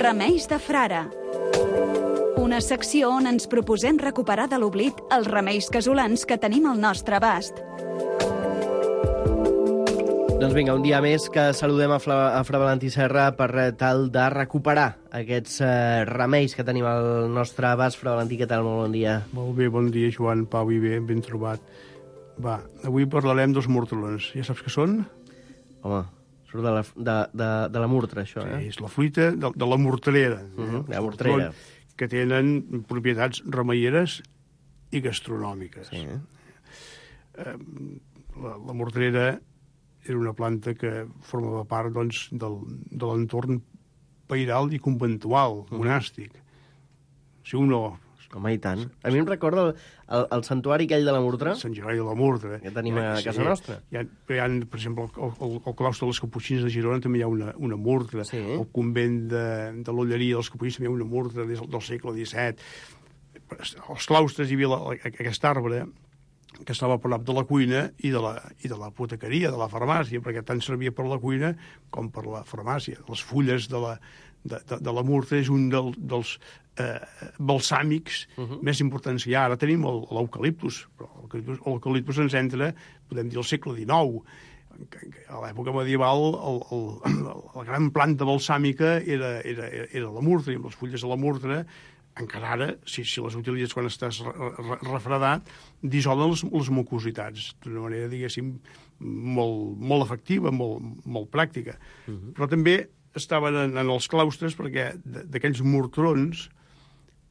Remeis de frare. Una secció on ens proposem recuperar de l'oblit els remeis casolans que tenim al nostre abast. Doncs vinga, un dia més que saludem a Fra Valentí Serra per tal de recuperar aquests remeis que tenim al nostre abast. Fra Valentí, què tal? Molt bon dia. Molt bé, bon dia, Joan, Pau i bé, ben trobat. Va, avui parlarem dels mortrons. Ja saps què són? Home, surt de la murtra, això, Sí, és la fruita de la morterera. La morterera. Que tenen propietats remeieres i gastronòmiques. Sí. La morterera era una planta que formava part doncs, de l'entorn pairal i conventual, monàstic. Si un no... Home, i tant. A mi em recorda el santuari aquell de la Murtra. Sant Gerard de la Murtra. Que tenim a casa nostra. Hi ha, per exemple, al claustre dels Caputxins de Girona també hi ha una Murtra. Sí. El convent de l'Olleria dels Caputxins també hi ha una Murtra del segle XVII. Als claustres hi havia aquest arbre que estava a prop de la cuina i de l'apotecaria, de la farmàcia, perquè tant servia per la cuina com per la farmàcia. Les fulles de la murta és un dels balsàmics més importants que hi ha. Ara tenim l'eucaliptus, però l'eucaliptus ens entra, podem dir, al segle XIX. A l'època medieval la gran planta balsàmica era la murta, i amb les fulles de la murta encara ara, si les utilitzes quan estàs refredat, dissolen les mucositats d'una manera, diguéssim, molt efectiva, molt pràctica. Però també estaven en els claustres perquè d'aquells mortrons,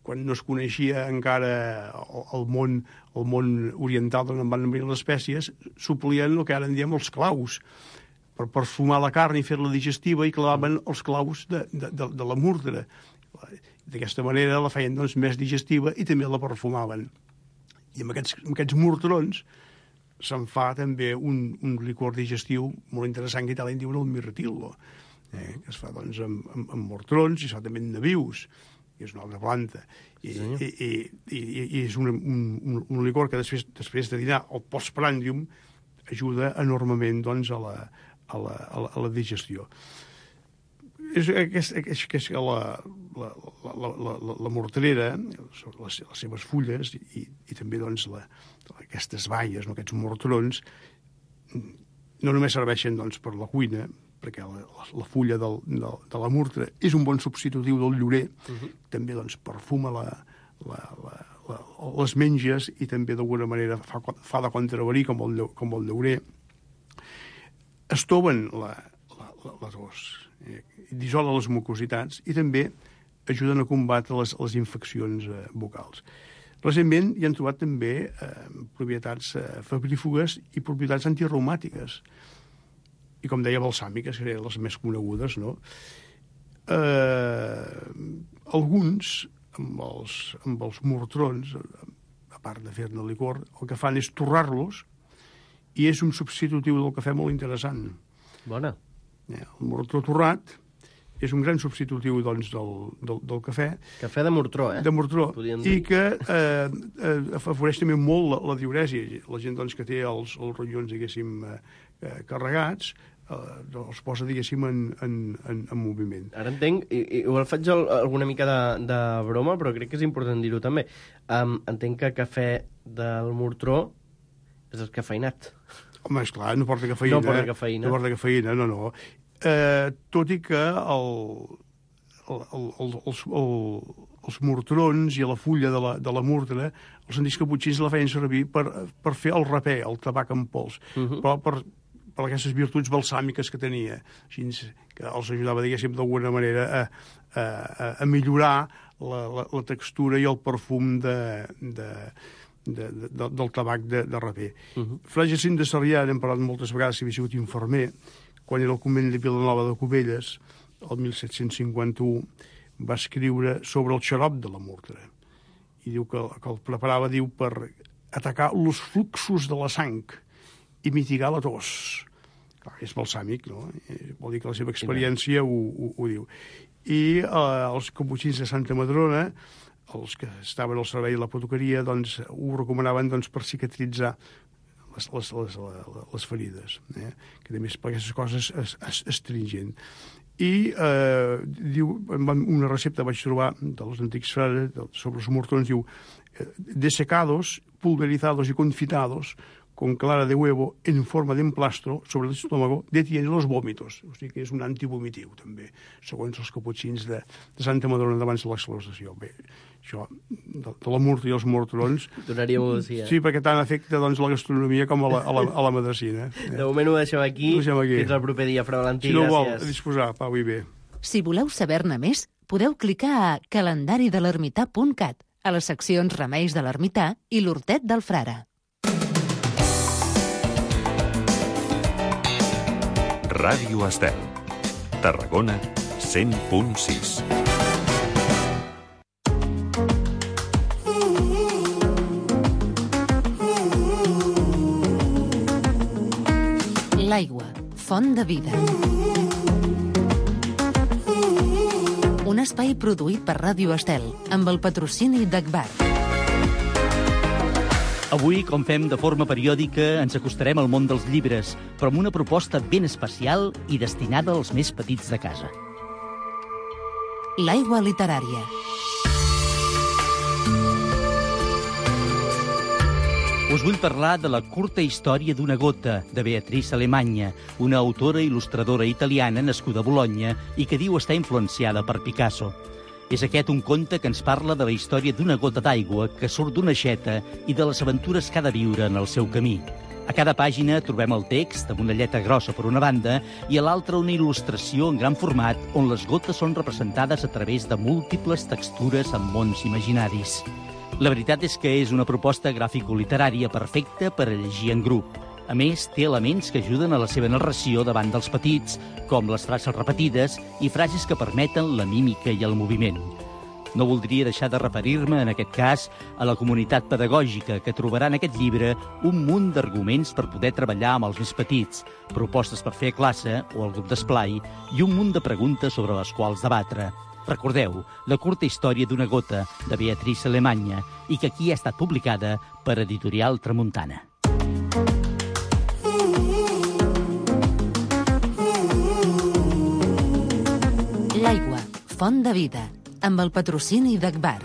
quan no es coneixia encara el món oriental d'on van venir les espècies, s'oplien el que ara en diem els claus, per perfumar la carn i fer-la digestiva, i clavaven els claus de la múrtera. D'aquesta manera la feien doncs, més digestiva i també la perfumaven. I amb aquests mortrons se'n fa també un licor digestiu molt interessant que a Itàlia en diuen el mirtillo, que es fa doncs, amb mortrons i es fa també amb nabius, que és una altra planta. I és un licor que després de dinar o postprandium ajuda enormement doncs, a la digestió. És la morterera, les seves fulles i també doncs, aquestes baies, aquests mortrons, no només serveixen doncs, per la cuina, perquè la fulla de la murtra és un bon substitutiu del llorer, també doncs, perfuma les menges i també d'alguna manera fa de contraverí com el llorer. Estoven les os, dissolen les mucositats i també ajuden a combatre les infeccions bucals. Recentment hi han trobat també propietats febrífugues i propietats antirreumàtiques i, com deia, balsàmiques, que eren les més conegudes, no? Alguns, amb els mortrons, a part de fer-ne licor, el que fan és torrar-los i és un substitutiu del cafè molt interessant. Bona. El mortró torrat és un gran substitutiu doncs, del cafè. Cafè de mortró, De mortró. I que afavoreix també molt la diuresi. La gent doncs, que té els ronyons, diguéssim, carregats, els posa, diguéssim, en moviment. Ara entenc, i ho faig alguna mica de broma, però crec que és important dir-ho també. Entenc que cafè del mortró és descafeinat. Home, esclar, no porta cafeïna. No porta cafeïna. No porta cafeïna, no. Tot i que els mortrons i la fulla de la múrtera, els antics caputxins la feien servir per fer el rapè, el tabac en pols, però per aquestes virtuts balsàmiques que tenia, així que els ajudava, diguéssim, d'alguna manera a millorar la textura i el perfum del tabac de rapè. Fra Jacint de Sarrià, n'hem parlat moltes vegades, si havia sigut infermer, quan era al convent de Vilanova de Cubelles, el 1751, va escriure sobre el xarop de la múrtera. I diu que el preparava, diu, per atacar els fluxos de la sang i mitigar la tos. Clar, és balsàmic, no? Vol dir que la seva experiència ho diu. I els caputxins de Santa Madrona, els que estaven al servei de la potoqueria, doncs, ho recomanaven doncs, per cicatritzar les ferides, que també és per aquestes coses astringent. i diu, una recepta vaig trobar dels antics frares sobre els mortones, diu desecados, pulverizados y confitados con clara de huevo en forma de emplastro sobre el estómago detiene los vòmitos. O sigui que és un antivomitiu, també, segons els caputxins de Santa Madrona d'abans de l'exclausació. Bé, això de la murta i els mortrons... Donaria molt, sí. Sí, perquè tant afecta doncs, la gastronomia com a la medicina. De moment ho deixem aquí. Fins al proper dia, Fra Valentí. Si no vol, a disposar, Pau, i bé. Si voleu saber-ne més, podeu clicar a calendaridelermità.cat, a les seccions Remeis de l'Ermità i l'Hortet del Frare. Ràdio Estel, Tarragona 100.6. L'aigua, font de vida. Un espai produït per Ràdio Estel, amb el patrocini d'Agbar. Avui, com fem de forma periòdica, ens acostarem al món dels llibres, però amb una proposta ben especial i destinada als més petits de casa. L'aigua literària. Us vull parlar de la curta història d'una gota, de Beatrice Alemanya, una autora il·lustradora italiana nascuda a Bologna i que diu estar influenciada per Picasso. És aquest un conte que ens parla de la història d'una gota d'aigua que surt d'una aixeta i de les aventures que ha de viure en el seu camí. A cada pàgina trobem el text, amb una lletra grossa per una banda, i a l'altra una il·lustració en gran format on les gotes són representades a través de múltiples textures en mons imaginaris. La veritat és que és una proposta gràfico-literària perfecta per a llegir en grup. A més, té elements que ajuden a la seva narració davant dels petits, com les frases repetides i frases que permeten la mímica i el moviment. No voldria deixar de referir-me, en aquest cas, a la comunitat pedagògica, que trobarà en aquest llibre un munt d'arguments per poder treballar amb els més petits, propostes per fer a classe o al grup d'esplai i un munt de preguntes sobre les quals debatre. Recordeu, la curta història d'una gota, de Beatrice Alemanya, i que aquí ha estat publicada per Editorial Tramuntana. L'aigua, font de vida, amb el patrocini d'Agbar.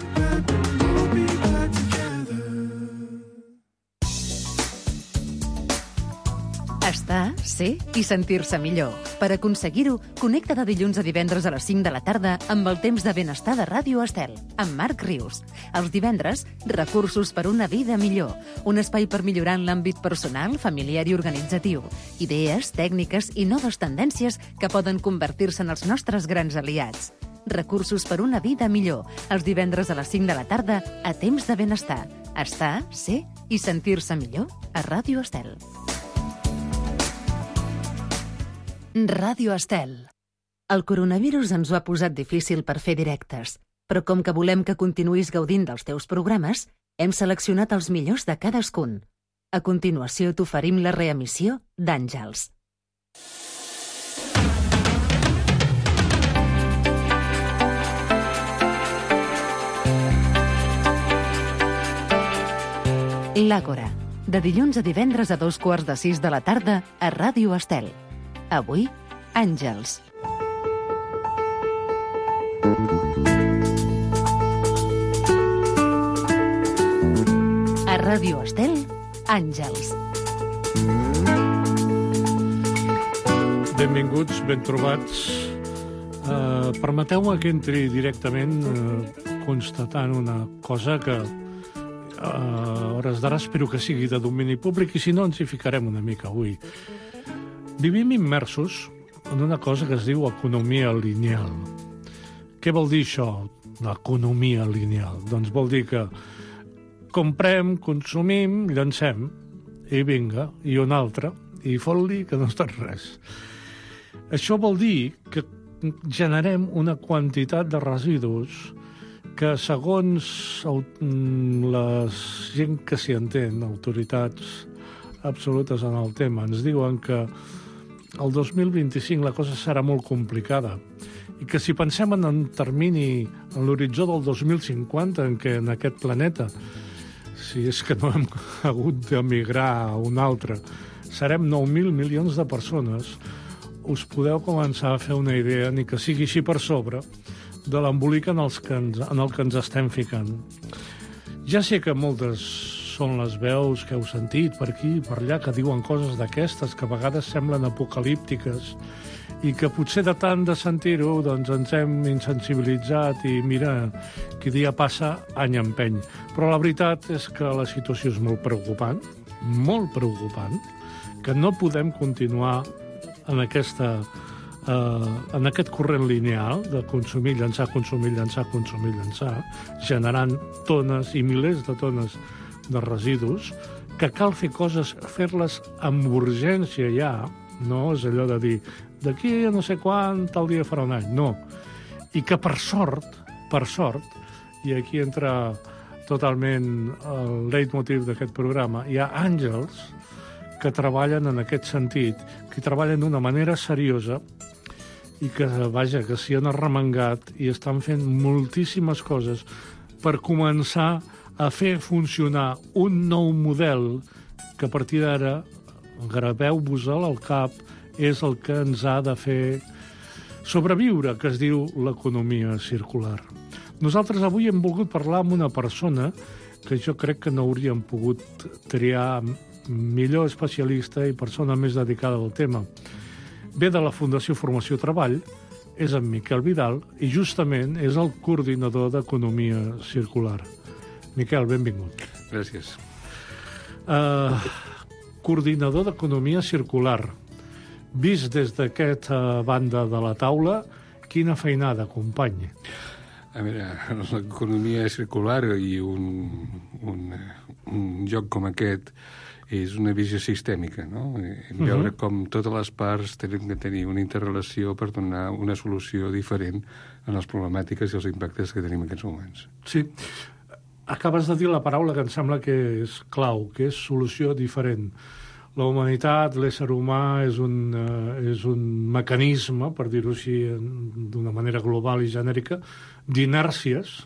Estar, ser i sentir-se millor. Per aconseguir-ho, connecta de dilluns a divendres a les 5 de la tarda amb el temps de benestar de Ràdio Estel, amb Marc Rius. Els divendres, recursos per una vida millor. Un espai per millorar en l'àmbit personal, familiar i organitzatiu. Idees, tècniques i noves tendències que poden convertir-se en els nostres grans aliats. Recursos per una vida millor. Els divendres a les 5 de la tarda, a temps de benestar. Estar, ser i sentir-se millor a Ràdio Estel. Ràdio Estel. El coronavirus ens ho ha posat difícil per fer directes, però com que volem que continuïs gaudint dels teus programes, hem seleccionat els millors de cadascun. A continuació t'oferim la reemissió d'Àngels. L'Àgora, de dilluns a divendres a 5:15 de la tarda a Ràdio Estel. Avui, Àngels. A Ràdio Estel, Àngels. Benvinguts, ben trobats. Permeteu-me que entri directament constatant una cosa que a hores d'ara espero que sigui de domini públic i si no ens hi ficarem una mica avui. Vivim immersos en una cosa que es diu economia lineal. Què vol dir això, l'economia lineal? Doncs vol dir que comprem, consumim, llancem, i vinga, i un altre, i fot-li que no és tot res. Això vol dir que generem una quantitat de residus que, segons la gent que s'hi entén, autoritats absolutes en el tema, ens diuen que el 2025 la cosa serà molt complicada i que si pensem en un termini, en l'horitzó del 2050, en què en aquest planeta, si és que no hem hagut d'emigrar a un altre, serem 9.000 milions de persones, us podeu començar a fer una idea, ni que sigui així per sobre, de l'embolic en el que ens estem ficant. Ja sé que moltes són les veus que heu sentit per aquí i per allà que diuen coses d'aquestes que a vegades semblen apocalíptiques i que potser de tant de sentir-ho doncs ens hem insensibilitzat i mira, qui dia passa, any empeny. Però la veritat és que la situació és molt preocupant, que no podem continuar en aquest corrent lineal de consumir, llançar, generant tones i milers de tones de residus, que cal fer coses, fer-les amb urgència ja, no és allò de dir d'aquí a no sé quan, tal dia farà un any, no. I que per sort, i aquí entra totalment el leitmotiv d'aquest programa, hi ha àngels que treballen en aquest sentit, que treballen d'una manera seriosa i que, vaja, que s'hi han arremangat i estan fent moltíssimes coses per començar a fer funcionar un nou model que a partir d'ara, graveu-vos-el al cap, és el que ens ha de fer sobreviure, que es diu l'economia circular. Nosaltres avui hem volgut parlar amb una persona que jo crec que no hauríem pogut triar millor especialista i persona més dedicada al tema. Ve de la Fundació Formació Treball, és en Miquel Vidal i justament és el coordinador d'Economia Circular. Miquel, benvingut. Gràcies. Coordinador d'Economia Circular. Vist des d'aquesta banda de la taula, quina feinada, company. A veure, l'economia circular i un joc com aquest és una visió sistèmica, no? Veure com totes les parts tenen de tenir una interrelació per donar una solució diferent a les problemàtiques i els impactes que tenim en aquests moments. Sí. Acabes de dir la paraula que em sembla que és clau, que és solució diferent. La humanitat, l'ésser humà, és un mecanisme, per dir-ho així d'una manera global i genèrica, d'inèrcies,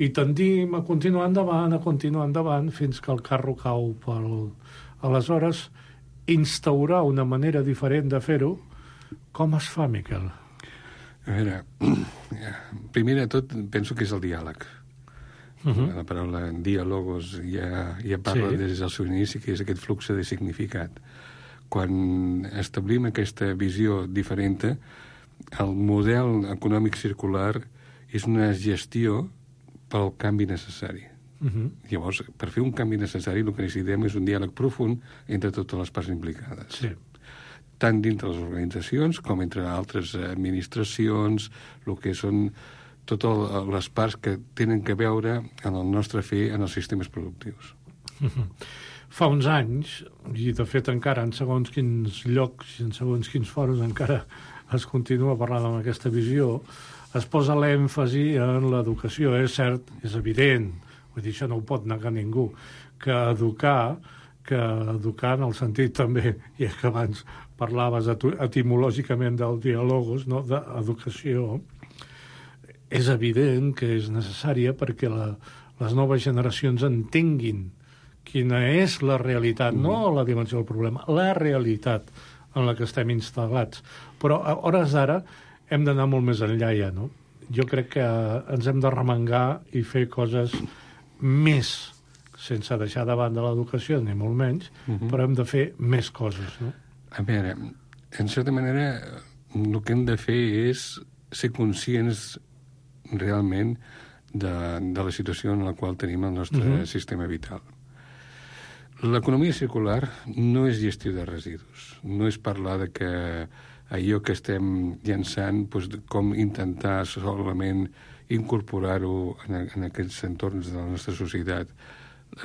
i tendim a continuar endavant, fins que el carro cau pel... Aleshores, instaurar una manera diferent de fer-ho, com es fa, Miquel? A veure, primer de tot penso que és el diàleg. La paraula diàlogos ja parla des del seu inici, que és aquest flux de significat. Quan establim aquesta visió diferent, el model econòmic circular és una gestió pel canvi necessari. Llavors, per fer un canvi necessari, el que necessitem és un diàleg profund entre totes les parts implicades. Sí. Tant dintre les organitzacions com entre altres administracions, el que són totes les parts que tenen que veure en el nostre fer en els sistemes productius. Fa uns anys, i de fet encara en segons quins llocs i en segons quins fòrums encara es continua parlant amb aquesta visió, es posa l'èmfasi en l'educació. És cert, és evident, vull dir, això no ho pot negar ningú, que educar en el sentit també, i que abans parlaves etimològicament del diàlogos, no? D'educació, és evident que és necessària perquè les noves generacions entenguin quina és la realitat, no la dimensió del problema, la realitat en la que estem instal·lats. Però a hores d'ara hem d'anar molt més enllà ja, no? Jo crec que ens hem de remengar i fer coses més, sense deixar de banda l'educació, ni molt menys, però hem de fer més coses, no? A veure, en certa manera, el que hem de fer és ser conscients realment de la situació en la qual tenim el nostre sistema vital. L'economia circular no és gestió de residus, no és parlar de que allò que estem llançant, doncs, com intentar solament incorporar-ho en aquests entorns de la nostra societat.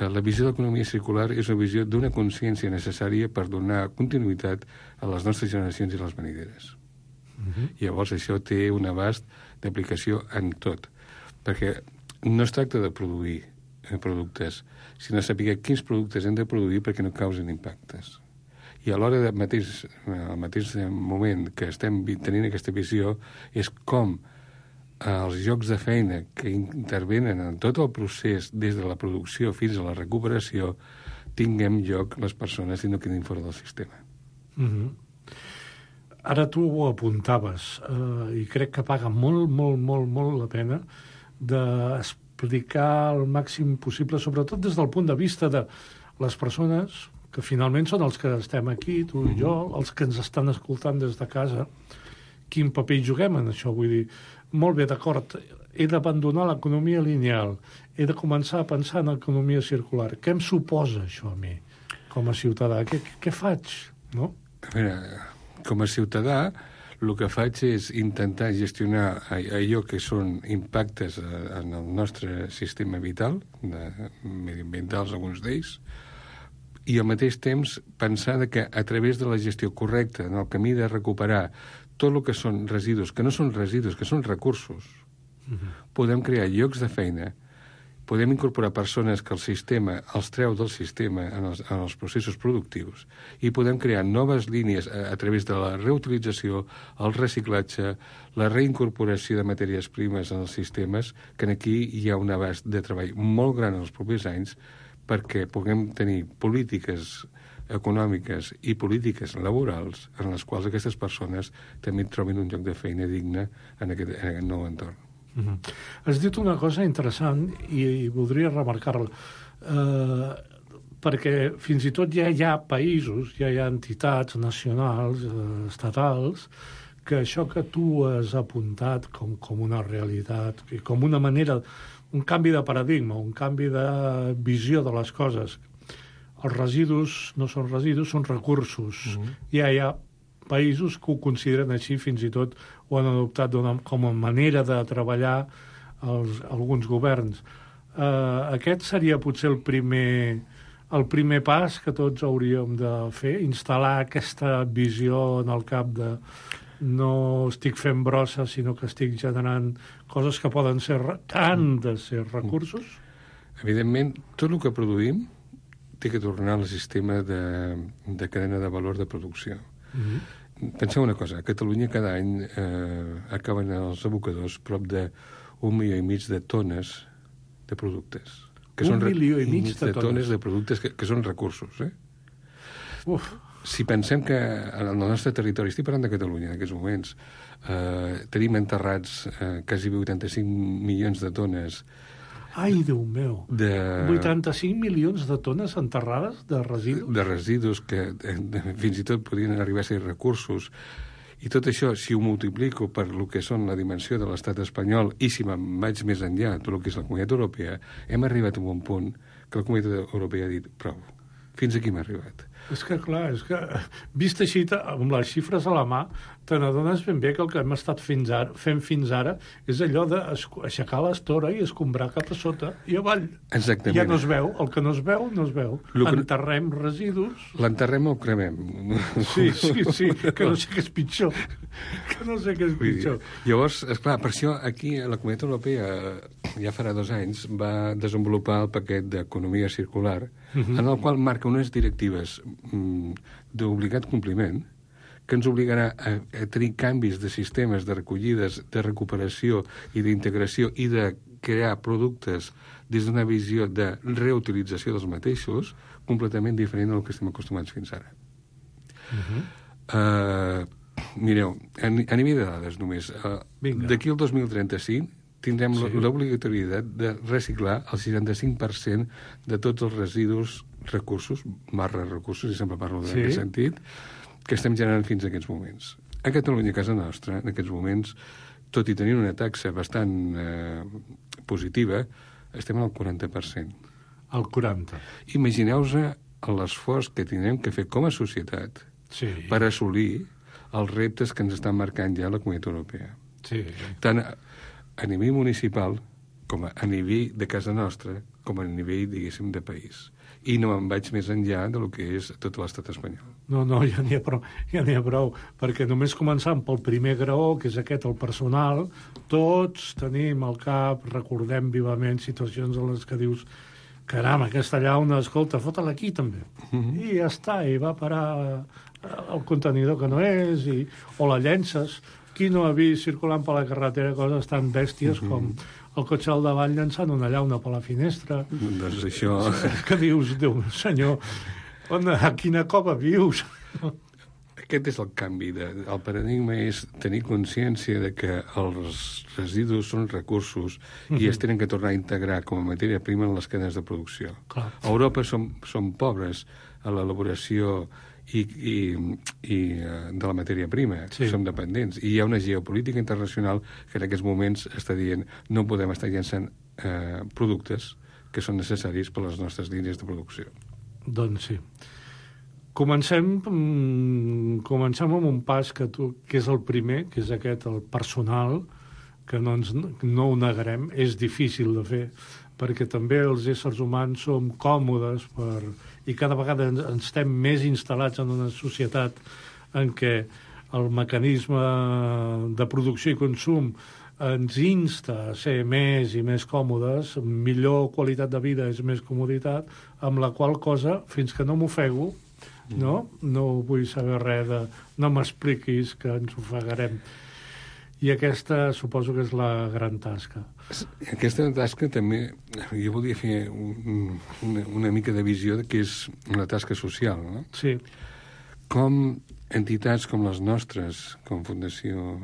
La visió de l'economia circular és una visió d'una consciència necessària per donar continuïtat a les nostres generacions i les venideres. Llavors això té un abast d'aplicació en tot, perquè no es tracta de produir productes, sinó saber quins productes hem de produir perquè no causen impactes. I a l'hora al mateix moment que estem tenint aquesta visió és com els llocs de feina que intervenen en tot el procés des de la producció fins a la recuperació tinguem lloc les persones i no quedin fora del sistema. ara tu ho apuntaves, i crec que paga molt, molt, molt, molt la pena d'explicar el màxim possible, sobretot des del punt de vista de les persones que finalment són els que estem aquí, tu i jo, els que ens estan escoltant des de casa, quin paper hi juguem en això? Vull dir, molt bé, d'acord, he d'abandonar l'economia lineal, he de començar a pensar en l'economia circular. Què em suposa això a mi, com a ciutadà? Què faig, no? A veure, com a ciutadà, el que faig és intentar gestionar allò que són impactes en el nostre sistema vital, mediambientals alguns d'ells, i al mateix temps pensar que a través de la gestió correcta, en el camí de recuperar tot el que són residus, que no són residus, que són recursos, podem crear llocs de feina, podem incorporar persones que el sistema els treu del sistema en els processos productius i podem crear noves línies a través de la reutilització, el reciclatge, la reincorporació de matèries primes en els sistemes, que aquí hi ha un abast de treball molt gran en els propers anys perquè puguem tenir polítiques econòmiques i polítiques laborals en les quals aquestes persones també trobin un lloc de feina digne en aquest nou entorn. Has dit una cosa interessant i voldria remarcar-la, perquè fins i tot ja hi ha països, ja hi ha entitats nacionals, estatals, que això que tu has apuntat com una realitat i com una manera, un canvi de paradigma, un canvi de visió de les coses. Els residus no són residus, són recursos. Ja hi ha països que ho consideren així, fins i tot ho han adoptat com a manera de treballar alguns governs. Aquest seria potser el primer pas que tots hauríem de fer, instal·lar aquesta visió en el cap de no estic fent brossa, sinó que estic generant coses que poden ser de ser recursos. Evidentment, tot el que produïm té que tornar al sistema de cadena de valor de producció. Penseu una cosa, a Catalunya cada any acaben els abocadors prop de 1,5 milió de tones de productes. Un milió i mig de tones de productes que són recursos. Uf. Si pensem que en el nostre territori, estic parlant de Catalunya en aquests moments, tenim enterrats quasi 85 milions de tones. Ai, Déu meu! 85 milions de tones enterrades de residus? De residus que fins i tot podrien arribar a ser recursos. I tot això, si ho multiplico per el que són la dimensió de l'estat espanyol i si me'n vaig més enllà, tot el que és la Comunitat Europea, hem arribat a un punt que la Comunitat Europea ha dit prou. Fins aquí hem arribat. És que, clar, vist així, amb les xifres a la mà, te n'adones ben bé que el que hem estat fent fins ara és allò d'aixecar l'estora i escombrar cap a sota i avall. Exactament. Ja no es veu. El que no es veu, no es veu. Enterrem residus. L'enterrem o el cremem. Sí, que no sé què és pitjor. Llavors, esclar, per això aquí la Comunitat Europea ja farà 2 anys va desenvolupar el paquet d'economia circular, en el qual marca unes directives d'obligat compliment que ens obligarà a tenir canvis de sistemes de recollides, de recuperació i d'integració i de crear productes des d'una visió de reutilització dels mateixos completament diferent del que estem acostumats fins ara. Mireu, a nivell de dades només, d'aquí al 2035 tindrem l'obligatorietat de reciclar el 65% de tots els residus recursos, recursos, i sempre parlo en aquest sentit, que estem generant fins a aquests moments. A Catalunya, a casa nostra, en aquests moments, tot i tenir una taxa bastant positiva, estem al 40%. Al 40%. Imagineu-vos l'esforç que tindrem que fer com a societat per assolir els reptes que ens estan marcant ja la Comunitat Europea. Tant a nivell municipal, com a nivell de casa nostra, com a nivell, diguéssim, de país. I no em vaig més enllà del que és tot l'estat espanyol. No, ja n'hi ha prou, perquè només començant pel primer graó, que és aquest, el personal, tots tenim al cap, recordem vivament situacions en les que dius caram, aquesta llauna, escolta, fota-la aquí també. I ja està, i va parar el contenidor que no és, o la llences. Qui no ha vist circulant per la carretera coses tan bèsties com el cotxe al davall llançant una llauna per la finestra? Doncs això... Que dius, Déu senyor, a quina cova vius? aquest és el canvi. El paradigma és tenir consciència de que els residus són recursos i es tenen que tornar a integrar com a matèria prima en les cadenes de producció. Clar. A Europa som pobres a l'elaboració i de la matèria prima. Sí. Som dependents. I hi ha una geopolítica internacional que en aquests moments està dient no podem estar llançant productes que són necessaris per a les nostres línies de producció. Doncs sí. Comencem amb un pas que és el primer, que és aquest, el personal, que no ho negarem, és difícil de fer, perquè també els éssers humans som còmodes i cada vegada ens estem més instal·lats en una societat en què el mecanisme de producció i consum ens insta a ser més i més còmodes, millor qualitat de vida és més comoditat, amb la qual cosa, fins que no m'ofego, no vull saber res de... No m'expliquis que ens ofegarem. I aquesta suposo que és la gran tasca. Aquesta tasca també... Jo volia fer una mica de visió que és una tasca social, no? Sí. Com entitats com les nostres, com Fundació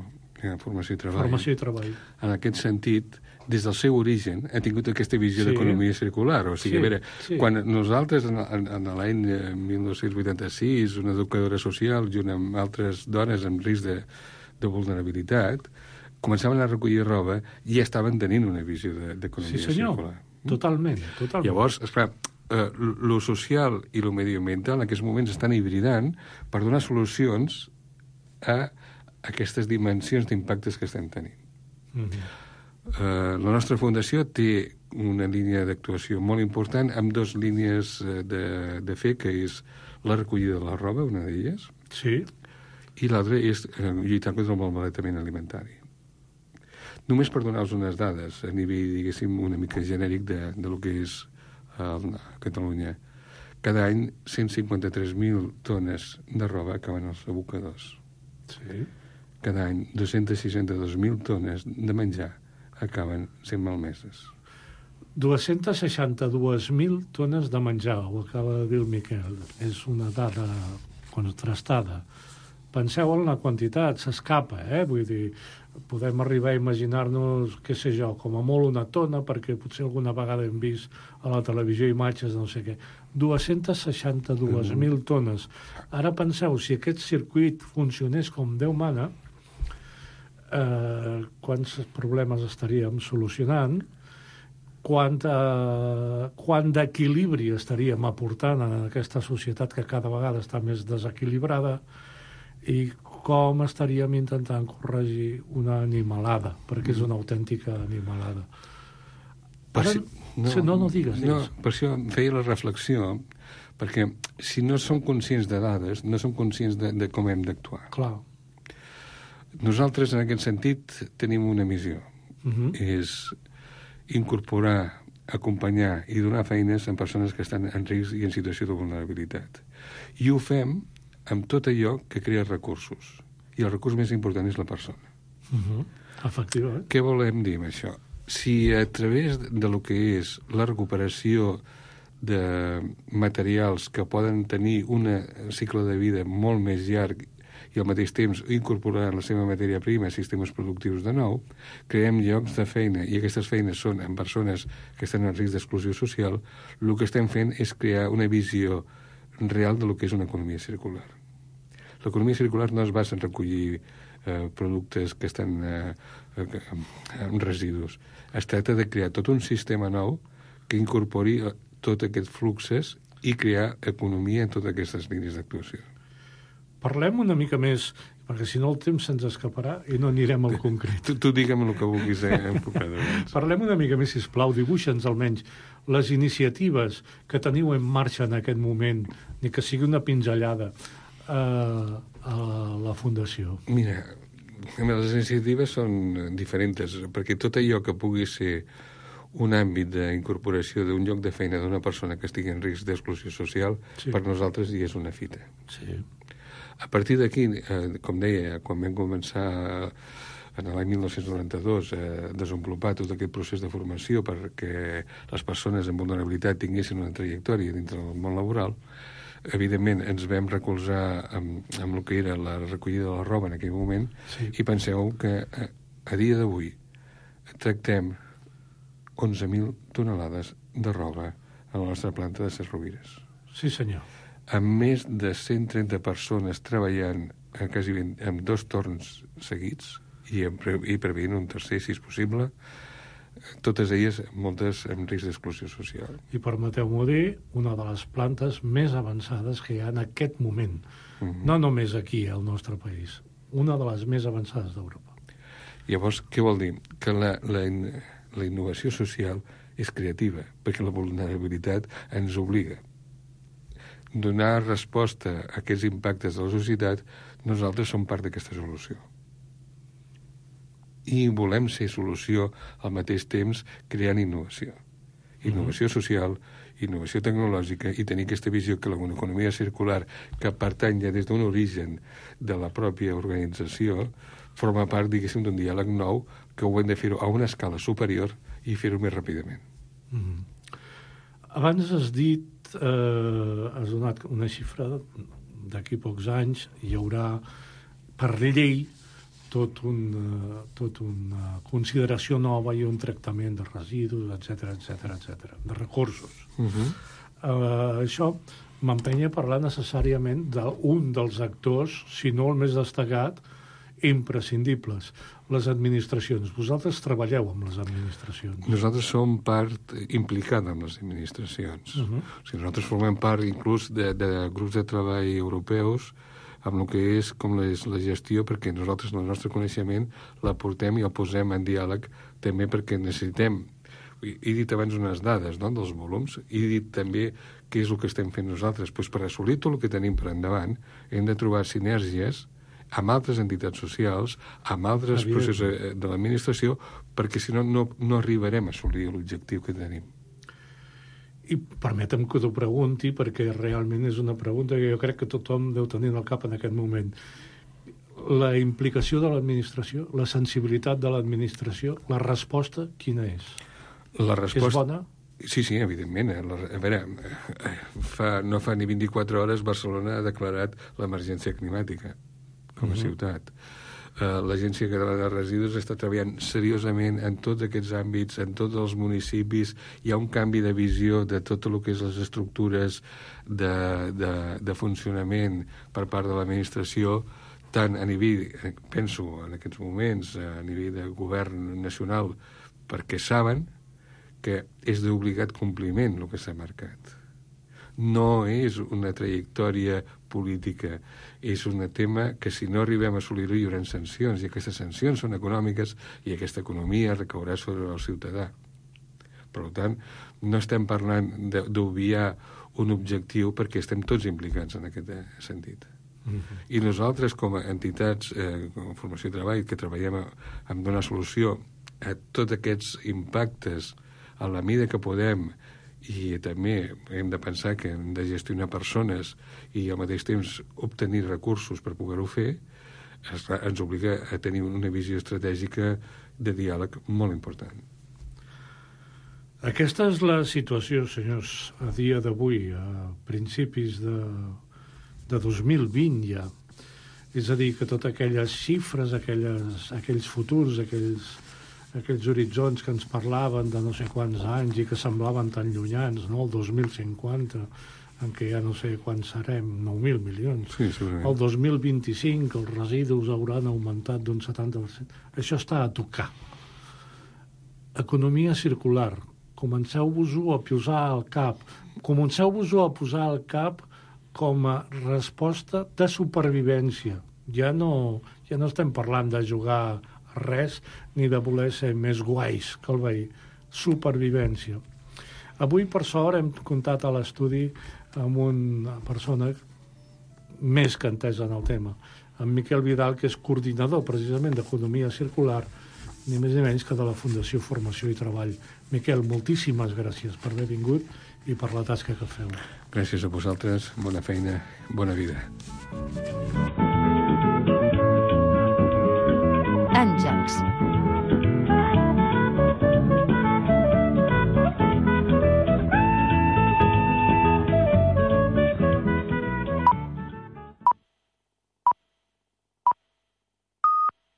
Formació i Treball, en aquest sentit, des del seu origen, ha tingut aquesta visió d'economia circular. O sigui, a veure, quan nosaltres, en l'any 1986, una educadora social, junt amb altres dones amb risc de vulnerabilitat, començaven a recollir roba i ja estaven tenint una visió d'economia circular. Totalment. Llavors, esclar, lo social i lo medioambiental en aquests moments estan hibridant per donar solucions a aquestes dimensions d'impactes que estem tenint. La nostra fundació té una línia d'actuació molt important amb dues línies de fer, que és la recollida de la roba, una d'elles, i l'altra és lluitar contra el malbaratament alimentari. Només per donar-vos unes dades a nivell, diguéssim, una mica genèric de lo que és Catalunya. Cada any 153.000 tones de roba acaben als abocadors. Cada any 262.000 tones de menjar acaben sent malmeses. 262.000 tones de menjar, ho acaba de dir el Miquel. És una dada contrastada. Penseu en la quantitat, s'escapa, Vull dir, podem arribar a imaginar-nos, què sé jo, com a molt una tona, perquè potser alguna vegada hem vist a la televisió imatges de no sé què. 262.000 tones. Ara penseu, si aquest circuit funcionés com Déu mana, quants problemes estaríem solucionant, quant d'equilibri estaríem aportant a aquesta societat que cada vegada està més desequilibrada i com estaríem intentant corregir una animalada, perquè és una autèntica animalada. No digues. No, per això feia la reflexió, perquè si no som conscients de dades, no som conscients de com hem d'actuar. Clar. Nosaltres, en aquest sentit, tenim una missió. És incorporar, acompanyar i donar feines a persones que estan en risc i en situació de vulnerabilitat. I ho fem amb tot allò que crea recursos. I el recurs més important és la persona. Efectivament. Què volem dir amb això? Si a través de lo que és la recuperació de materials que poden tenir un cicle de vida molt més llarg i al mateix temps incorporar la seva matèria prima a sistemes productius de nou, creem llocs de feina, i aquestes feines són en persones que estan en risc d'exclusió social, el que estem fent és crear una visió real de lo que és una economia circular. L'economia circular no es basa en recollir productes que estan en residus. Es tracta de crear tot un sistema nou que incorpori tots aquests fluxes i crear economia en totes aquestes línies d'actuació. Parlem una mica més, perquè si no el temps se'ns escaparà i no anirem al concret. Tu digue'm el que vulguis enfocar. Parlem una mica més, sisplau, dibuixa'ns almenys les iniciatives que teniu en marxa en aquest moment, ni que sigui una pinzellada a la Fundació. Mira, les iniciatives són diferents, perquè tot allò que pugui ser un àmbit d'incorporació d'un lloc de feina d'una persona que estigui en risc d'exclusió social, per nosaltres ja és una fita. Sí. A partir d'aquí, com deia, quan vam començar en l'any 1992 a desenvolupar tot aquest procés de formació perquè les persones amb vulnerabilitat tinguessin una trajectòria dintre del món laboral, evidentment, ens vam recolzar amb el que era la recollida de la roba en aquell moment, i penseu que a dia d'avui tractem 11.000 tonelades de roba a la nostra planta de Ses Rovires. Sí, senyor. Amb més de 130 persones treballant quasi en 2 torns seguits i preveient un tercer, si és possible, totes elles, moltes amb risc d'exclusió social. I permeteu-m'ho dir, una de les plantes més avançades que hi ha en aquest moment. No només aquí, al nostre país. Una de les més avançades d'Europa. Llavors, què vol dir? Que la innovació social és creativa, perquè la vulnerabilitat ens obliga. Donar resposta a aquests impactes de la societat, nosaltres som part d'aquesta solució. I volem ser solució al mateix temps creant innovació. Innovació social, innovació tecnològica, i tenir aquesta visió que l'economia circular, que pertany ja des d'un origen de la pròpia organització, forma part, diguéssim, d'un diàleg nou que ho hem de fer-ho a una escala superior i fer-ho més ràpidament. Abans has dit, has donat una xifra, d'aquí pocs anys hi haurà per llei tot una consideració nova i un tractament de residus, etc, de recursos. Això m'empenya a parlar necessàriament d'un dels actors, si no el més destacat, imprescindibles, les administracions. Vosaltres treballeu amb les administracions. Nosaltres som part implicada amb les administracions. O sigui, nosaltres formem part inclús de grups de treball europeus amb el que és com la gestió, perquè nosaltres el nostre coneixement la portem i el posem en diàleg també perquè necessitem. He dit abans unes dades, no?, dels volums, he dit també què és el que estem fent nosaltres. Pues per assolir tot el que tenim per endavant hem de trobar sinergies amb altres entitats socials, amb altres processos de l'administració, perquè si no, no arribarem a assolir l'objectiu que tenim. I permetem que t'ho pregunti, perquè realment és una pregunta que jo crec que tothom deu tenir al cap en aquest moment. La implicació de l'administració, la sensibilitat de l'administració, la resposta, quina és? La resposta... És bona? Sí, evidentment. A veure, no fa ni 24 hores Barcelona ha declarat l'emergència climàtica com a ciutat. L'Agència Catalana de Residus està treballant seriosament en tots aquests àmbits, en tots els municipis. Hi ha un canvi de visió de tot el que és les estructures de funcionament per part de l'administració, tant a nivell, penso en aquests moments, a nivell de govern nacional, perquè saben que és d'obligat compliment el que s'ha marcat. No és una trajectòria política, és un tema que si no arribem a assolir-ho hi haurà sancions, i aquestes sancions són econòmiques i aquesta economia recaurà sobre el ciutadà. Per tant, no estem parlant d'obviar un objectiu perquè estem tots implicats en aquest sentit. I nosaltres, com a entitats, com a formació i treball, que treballem en donar solució a tots aquests impactes a la mida que podem, i també hem de pensar que hem de gestionar persones i al mateix temps obtenir recursos per poder-ho fer, ens obliga a tenir una visió estratègica de diàleg molt important. Aquesta és la situació, senyors, a dia d'avui, a principis de 2020 ja. És a dir, que totes aquelles xifres, aquells futurs, aquells horitzons que ens parlaven de no sé quants anys i que semblaven tan llunyans, no? El 2050, en què ja no sé quants serem, 9.000 milions. Sí, segurament. El 2025 els residus hauran augmentat d'un 70%. Això està a tocar. Economia circular. Comenceu-vos-ho a posar al cap. Comenceu-vos-ho a posar al cap com a resposta de supervivència. Ja no estem parlant de jugar res ni de voler ser més guais que el veí. Supervivència. Avui, per sort, hem comptat a l'estudi amb una persona més que entesa en el tema, amb Miquel Vidal, que és coordinador precisament d'Economia Circular, ni més ni menys que de la Fundació Formació i Treball. Miquel, moltíssimes gràcies per haver vingut i per la tasca que feu. Gràcies a vosaltres, bona feina, bona vida. Àngels.